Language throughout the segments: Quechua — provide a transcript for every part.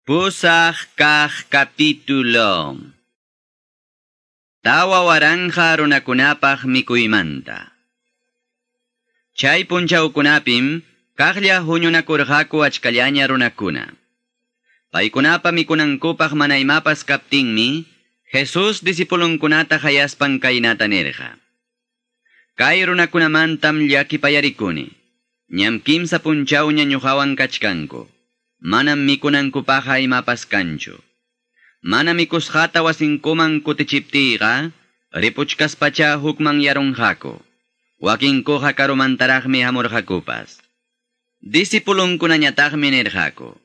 Pusaq kaq capítulo. 4000 runakunapaq mikuymanta. Chay punchawkunapim kaqlla huñunakurqaku achkallaña runakuna. Paykunapa mikunankupaq mana imapas kaptinmi, Jesús discipulunkunata hayaspan kaynata nirqa. Kay runakunamantam llakipayarikuni. Ñam kimsa punchawña ñuqawan kachkanku. Manam mikunankupaqqa imapas kanchu. Mana mikusqata wasinkuman kutichiptiyqa, ripuchkaspacha hukman yarunqaku. Wakinkuqa karumantaraqmi hamurqakupas. Discipulunkunañataqmi nirqaku.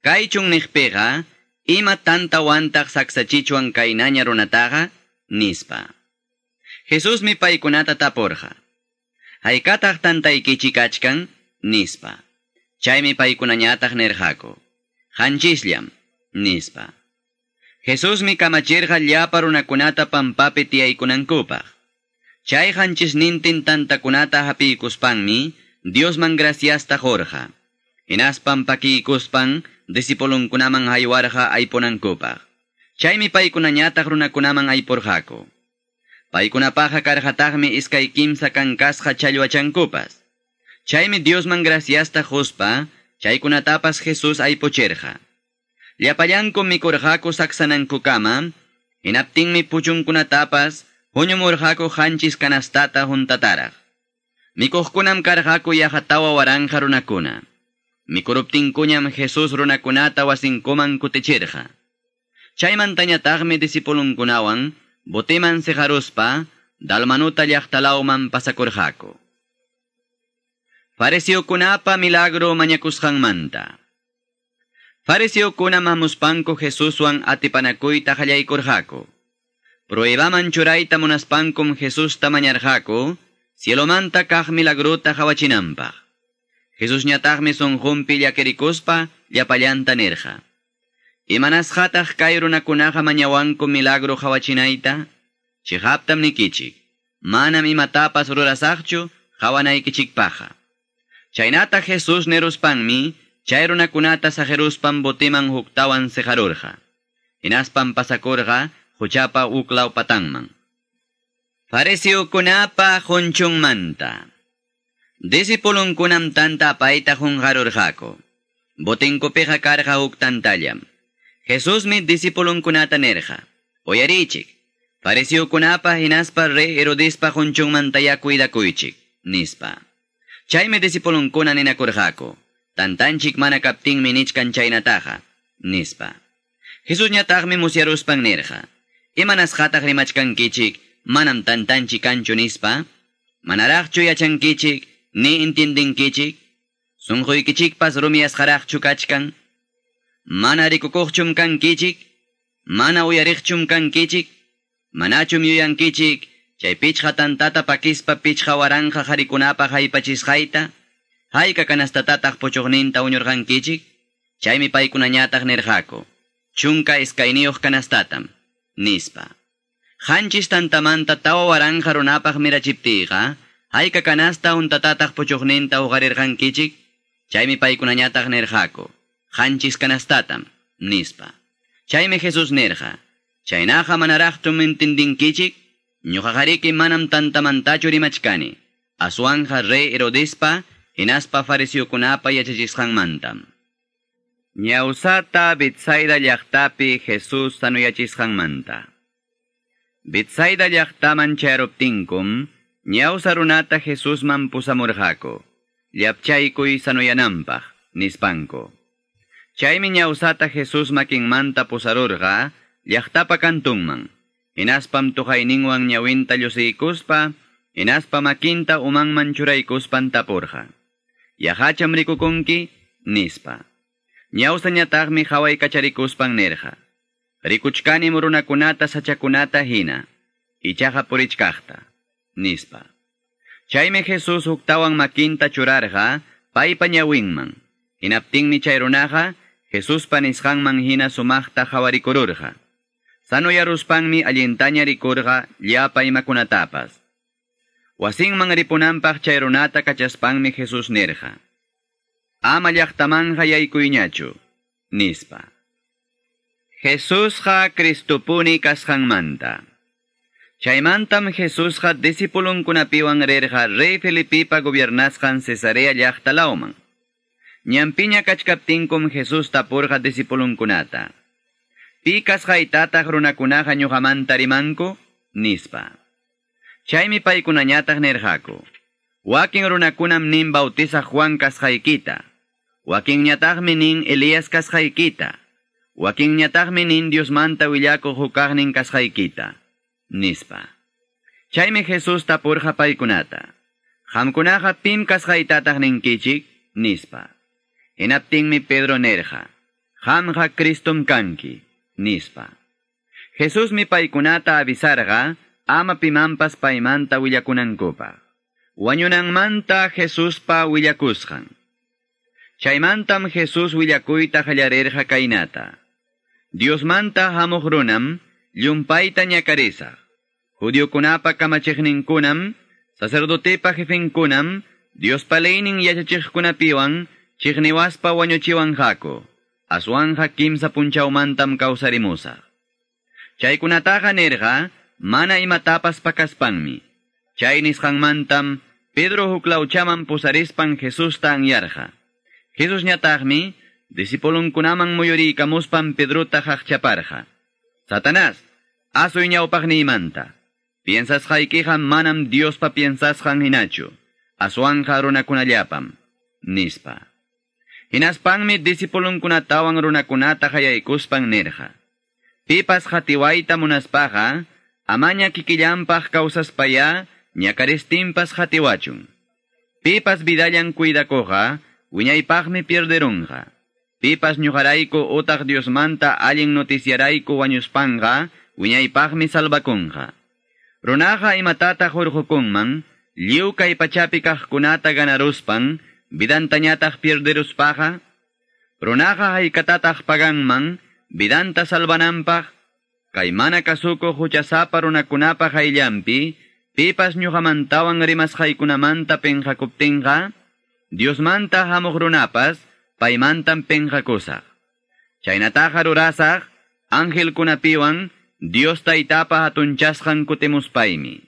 Kay chunniqpiqa, ima tantawantaq saksachichwan kaynaña runataqa, nispa. Jesusmi paykunata tapurqa. Haykataq tantaykichik kachkan, nispa. Chaymi paykunañataq nirqaku. Hanchisllam, nispa. Jesusmi kamachirqa llapa runakunata pampapi tiyaykunankupaq. Chay hanchisnintin tantakunata hapiykuspanmi Diosman graciasta qurqa. Hinaspan pakiykuspan discipulunkunaman haywarqa aypunankupaq. Chaymi paykunañataq runakunaman aypurqaku. Paykunapaqqa karqataqmi iskay kimsa kankasqa challwachankupas. Chaymi Diosman graciasta quspa, chaykunatapas Jesús aypuchirqa. Llapallankum mikurqaku saksanankukama, hinaptinmi puchunkunatapas huñumurqaku 7 kanastata juntataraq. Mikuqkunam karqaku yaqa 4000 runakuna. Mikuruptinkuñam Jesús runakunata wasinkuman kutichirqa. Chaymantañataqmi discipulunkunawan botiman siqaruspa Dalmanuta llaqtalawman pasakurqaku. Fariseokunapa milagro mañakusqanmanta. Fariseokuna hamuspanku Jesuswan atipanakuyta qallaykurqaku. Pruebaman churayta munaspankum Jesusta mañarqaku, cielomanta kaq milagrota qawachinanpaq. Jesusñataqmi sunqunpi llakirikuspa llapallanta nirqa. Imanasqataq kay runakunaqa mañawanku milagro qawachinayta? Chiqaptam nikichik, manam imatapas rurasaqchu qawanaykichikpaqqa. Chaynata Jesús niruspanmi, chay runakunata saqiruspan botiman huktawan siqarurqa. Hinaspan pasakurqa quchapa uklaw patanman. Fariseokunapa qunchunmanta. Discipulunkunam tanta apayta qunqarurqaku. Botinkupiqa karqa huk tantallam. Jesusmi discipulunkunata nirqa. Uyarichik, fariseokunapa hinaspa rey Herodespa qunchunmantayá cuidakuychik, nispa. Chaymi discipulunkuna ninakurqaku. Tantanchik mana kaptinmi nichkan chaynataqa, nispa. Jesusñataqmi musyaruspan nirqa. Imanasqataq rimachkankichik, manam tantanchik kanchu nispa? Manaraqchu yachankichik, ni intindinkichik? Sunquykichikpas rumiyasqaraqchu kachkan? Mana rikukuqchum kankichik? Mana uyariqchum kankichik? Manachum yuyankichik, chay 5 tantata pakispa 5000 qharikunapaq haypachisqayta? Hayka kanastatataq puchuqninta uñurqankichik? Chaymi paykunañataq nirqaku. 12 kanastatam, nispa. 7 tantamanta 4000 runapaq mirachiptiyqa, hayka kanasta untatataq puchuqninta uqarirqankichik? Chaymi paykunañataq nirqaku. 7 kanastatam, nispa. Chaymi Jesús nirqa. Chaynaqa manaraqtum intindinkichik? Ñuqaqariki manam tantamantachu rimachkani. Aswanja rey Herodespa, hinaspa fariseokunapa yachachisqanmantam. Ñawsata Betsaida llaqtapi Jesús sanuyachisqanmanta. Betsaida llaqtaman chayaruptinkum, ñawsa runata Jesusman pusamurqaku. Llapchaykuy sanuyananpaq, nispanku. Chaymi ñawsata Jesús makinmanta pusarurqa llaqtapa kantunman. Hinaspam tuqayninwan ñawinta llusiykuspa, hinaspa makinta umanman churaykuspan tapurqa. Yaqacham rikukunki, nispa. Ñawsañataqmi qawaykacharikuspan nirqa. Rikuchkanim runakunata sachakunata hina, ichaqa purichkaqta, nispa. Chaymi Jesús huktawan makinta churarqa paypa ñawinman. Hinaptinmi chay runaqa Jesuspa nisqanman hina sumaqta qhawarikururqa. Sanuyaruspanmi allintaña rikurqa llapa imakunatapas. Wasinman ripunanpaq chay runata kachaspanmi Jesús nirqa. Ama llaqtamanqa yaykuyñachu, nispa. Jesusqa Cristopuni kasqanmanta. Chaymantam Jesusqa discipulunkunapiwan rirqa rey Felipipa gobiernasqan Cesarea llaqta lawman. Ñanpiña kachkaptinkum Jesús tapurqa discipulunkunata. Pi kasqaytataq runakunaqa ñuqamanta rimanku? Nispa. Chaymi paykunañataq nirqaku. Wakin runakunam nin bautizaq Juan kasqaykita. Wakinñataqmi nin Elías kasqaykita. Wakinñataqmi nin Diosmanta willakuq hukaqnin kasqaykita. Nispa. Chaymi Jesús tapurqa paykunata. Qamkunaqa pim kasqaytataq ninkichik? Nispa. Hinaptinmi Pedro nirqa. Qamqa Cristom kanki. Nispa. Jesusmi paykunata avisarqa ama pimanpas paymanta willakunankupaq. Wañunanmanta Jesuspa willakusqan. Chaymantam Jesús willakuyta qallarirqa kaynata. Diosmanta hamuq runam llumpayta ñakarisaq. Judiokunapa kamachiqninkunam, sacerdotepa jefenkunam, Diospa leynin yachachiqkunapiwan chiqniwaspa wañuchiwanqaku. Aswanja kimsa punchawmantam kawsarimusaq. Chaykunataqa nirqa mana imatapas pakaspanmi. Chay nisqanmantam Pedro huklawchaman pusarispan Jesusta anyarqa. Jesusñataqmi discipulunkunaman muyuriykamuspan Pedrota qaqchaparqa. Satanás, asuy ñawpaqniymanta. Piensasqaykiqa manam Diospa piensasqan hinachu. Aswanja runakunallapam. Nispa. Hinaspanmi discipulunkunatawan runakunata qayaykuspan nirqa. Pipas qatiwayta munaspaqa, amaña kikillanpaq kawsaspaya, ñakaristinpas qatiwachun. Pipas vidallan cuidakuqqa, wiñaypaqmi pierderunqa. Pipas ñuqarayku utaq Diosmanta allin noticiarayku wañuspanqa, wiñaypaqmi salvakunqa. Runaqa imatataq hurqukunman, lliw kay pachapi kaqkunata ganaruspan, vidantañataq pierderuspaqa, runaqa haykatataq paganman, vidanta salvananpaq, kay mana kasukuq huchasapa runakunapa qayllanpi, pipas ñuqamantawan rimasqaykunamanta penqakuptinqa, Diosmanta hamuq runapas, paymantam penqakusaq. Chaynataqa rurasaq, angelkunapiwan, Dios taytapa hatunchasqan kutimuspaymi.